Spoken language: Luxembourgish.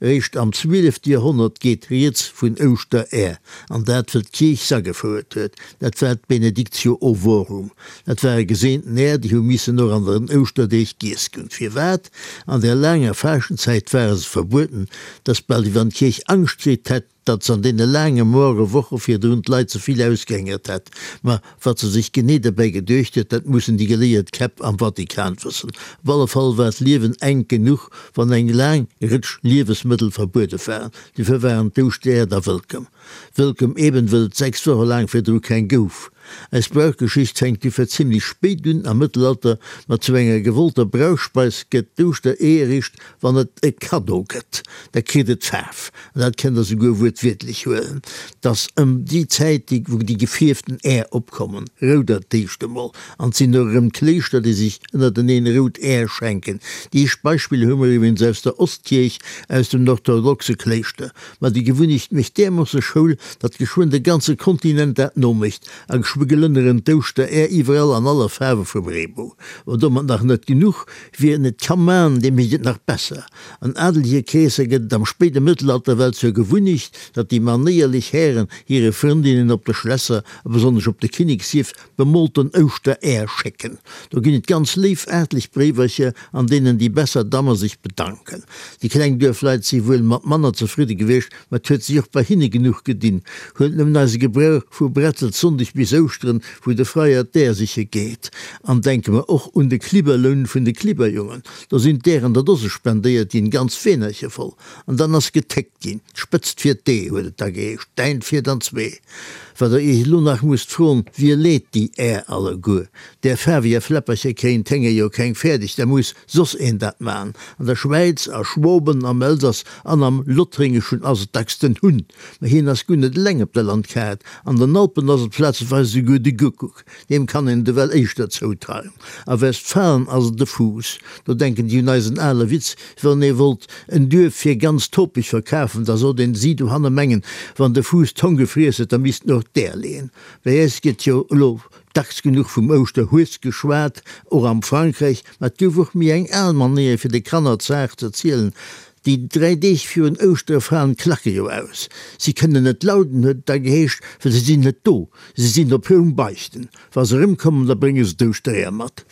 Eréischt am zwielefte Joerhonnert geet rieds vun Ouschteräer, an dat wëll d'Kierch s'agefouert huet. Dat war d'Benedictio ovorum. Dat ware geseenten Äer, déi hu missen och an den Ouschterdeeg giess ginn. Firwat? An der laanger Faaschtenzäit ware se verbueden, 't ass bal wéi wann d'Kierch Angscht kritt hätt, datt s'an deene laange moare Woche virdrun d'Leit ze vill ausgehängert hätt. Ma wat se sech genee derbäi geduecht huet, dat mussen déi geléiert Käpp am Vatikan wëssen. Op alle Fall war d'Liewen enk genuch, wann eng laang Rëtsch Liewesmëttel verbuede waren. Dofir waren d'Ouschtereer da wëllkomm. Wëllkomm eben, wëll et 6 Woche laang virdru keng gouf. Eis Brauchgeschicht fänkt dofir zimlech spéit un, am Mëttelalter, ma zu enger gewollter Brauchspeis gëtt d'Ouschteree eréischt Wann et e Kaddo gëtt, da kritt et Faarf, an dat kënnt Der souguer wuertwiertlech huelen. 't ass ëm déi Zäit, déi wou déi gefierften Är opkommen, rouder d'éischt emol, an 't sinn och erëm d'Kléischter, déi sech ënnerteneen rout Är schenken. Déi éischt Beispiller hu mer iwwregens aus der Ostkierch, aus dem orthodoxe Kléischter. Ma déi Gewunnecht mécht därmoosse Schoul, datt geschwënn de ganze Kontinent dat nomécht, a geschwë gelënneren d'Ouschteräer iwwerall an alle Faarwe vum Reebou. Mä domat nach net genuch, Wien et ka man, dee mécht et nach besser. An adelege Kreesser gëtt et am spéide Mëttelalter well zur Gewunnecht, datt déi manéierlech Hären hire Frëndinnen op de Schlässer, a besonnesch op de Kinnekshieff, bemolten Ouschteräer schécken. Do ginn et ganz léif aartlech Bréiwercher, an deenen déi besser Damme sech bedanken. Déi kleng Duerfleit si wuel mat manner zefridde gewiescht, Ma et huet sech och bei hinne genuch gedinn. Huelt nëmmen eise Gebrauch vu Bretzelssonndeg bis Ouschteren, wou de Freier d'Äer siche geet. An denke mer och un de Klibberloun vun de Klibberjongen. Do sinn d'Äer an der Dose spendéiert ginn, ganz Weenerche voll. An dann ass getéckt ginn. D'Spëtzt fir d'Ee huet et da geheescht, däint fiert an zwee. Wat der iech elo nach musst froen, Wie leet déi Äer alleguer? Där faarweger Fläppercher kréien d'Hénger jo keng fäerdeg, da muss soss een dat man. An der Schwäiz, a Schwoben, am Elsass an am Lothringeschen ass et dacks den Hunn, ma hien ass guer net eleng op der Landkaart. An den Alpen ass et plazeweis esouguer de Guckuck, deem kann een et ewell éischter zoutreien. A Westfalen ass et de Fuuss. Do denken déi un eisen ale Witz, wann ee wollt en Duerf fir ganz topeg verkafen, da sollt een si dohanne mengen, wann de Fuuss d'Hong gefriess huet, da misst en och d'Äer leeën. Bei äis gëtt jo elo Dacks genuch vum Ouschterhues geschwat, och am Frankräich, ma et gouf och méi eng al Manéier fir de Kanner d'Saach z'erzielen, Déi 3 Deeg virun Ouschtere falen d'Klacke jo aus. Si kënnen net lauden, huet et da geheescht, well se sinn net do, se sinn op Roum beichten. Wa se erëmkommen, da brénge se d'Ouschtereeër mat.